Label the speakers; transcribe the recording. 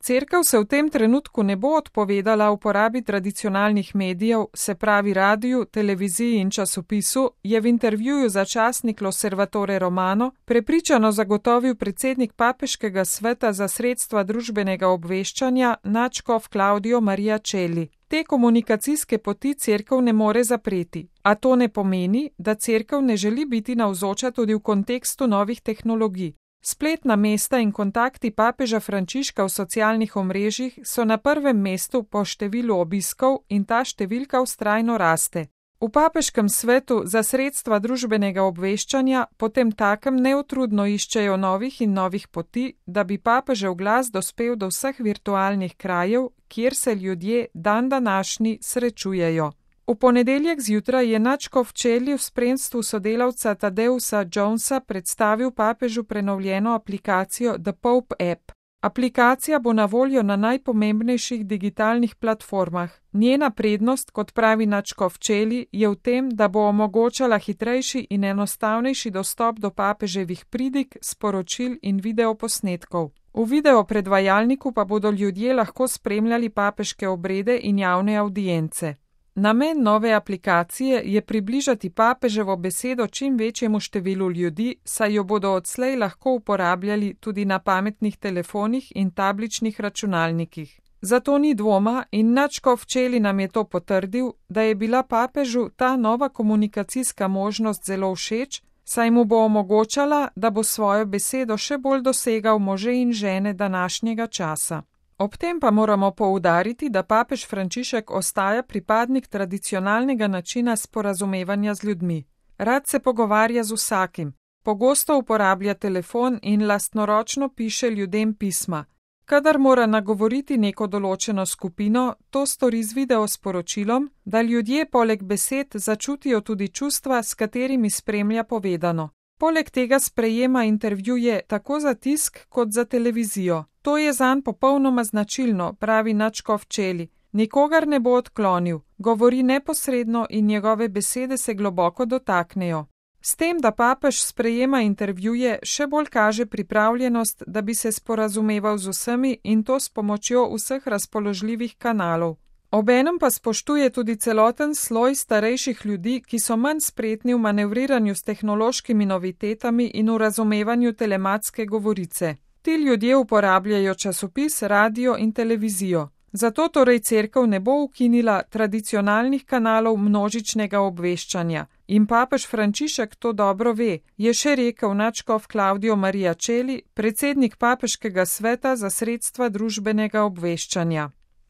Speaker 1: Cerkev se v tem trenutku ne bo odpovedala uporabi tradicionalnih medijev, se pravi radiju, televiziji in časopisu, je v intervjuju za časnik L'Osservatore Romano prepričano zagotovil predsednik Papeškega sveta za sredstva družbenega obveščanja nadškof Claudio Maria Celli. Te komunikacijske poti cerkev ne more zapreti, a to ne pomeni, da cerkev ne želi biti navzoča tudi v kontekstu novih tehnologij. Spletna mesta in kontakti papeža Frančiška v socialnih omrežjih so na prvem mestu po številu obiskov in ta številka vztrajno raste. V Papeškem svetu za sredstva družbenega obveščanja potem takem neutrudno iščejo novih in novih poti, da bi papežev glas dospel do vseh virtualnih krajev, kjer se ljudje dandanašnji srečujejo. V ponedeljek zjutraj je nadškof Celli v spremstvu sodelavca Tadeusa Jonesa predstavil papežu prenovljeno aplikacijo The Pope App. Aplikacija bo na voljo na najpomembnejših digitalnih platformah. Njena prednost, kot pravi nadškof Celli, je v tem, da bo omogočala hitrejši in enostavnejši dostop do papeževih pridig, sporočil in videoposnetkov. V videopredvajalniku pa bodo ljudje lahko spremljali papeške obrede in javne avdience. Namen nove aplikacije je približati papeževo besedo čim večjemu številu ljudi, saj jo bodo odslej lahko uporabljali tudi na pametnih telefonih in tabličnih računalnikih. Zato ni dvoma in nadškof Celli nam je to potrdil, da je bila papežu ta nova komunikacijska možnost zelo všeč, saj mu bo omogočala, da bo svojo besedo še bolj dosegal može in žene današnjega časa. Ob tem pa moramo poudariti, da papež Frančišek ostaja pripadnik tradicionalnega načina sporazumevanja z ljudmi. Rad se pogovarja z vsakim, pogosto uporablja telefon in lastnoročno piše ljudem pisma. Kadar mora nagovoriti neko določeno skupino, to stori z videosporočilom, da ljudje poleg besed začutijo tudi čustva, s katerimi spremlja povedano. Poleg tega sprejema intervjuje tako za tisk kot za televizijo. To je zanj popolnoma značilno, pravi nadškof Celli. Nikogar ne bo odklonil, govori neposredno in njegove besede se globoko dotaknejo. S tem, da papež sprejema intervjuje, še bolj kaže pripravljenost, da bi se sporazumeval z vsemi in to s pomočjo vseh razpoložljivih kanalov. Obenem pa spoštuje tudi celoten sloj starejših ljudi, ki so manj spretni v manevriranju s tehnološkimi novitetami in v razumevanju telematske govorice. Ti ljudje uporabljajo časopis, radio in televizijo. Zato torej cerkev ne bo ukinila tradicionalnih kanalov množičnega obveščanja. In papež Frančišek to dobro ve, je še rekel nadškof Claudio Maria Celli, predsednik Papeškega sveta za sredstva družbenega obveščanja.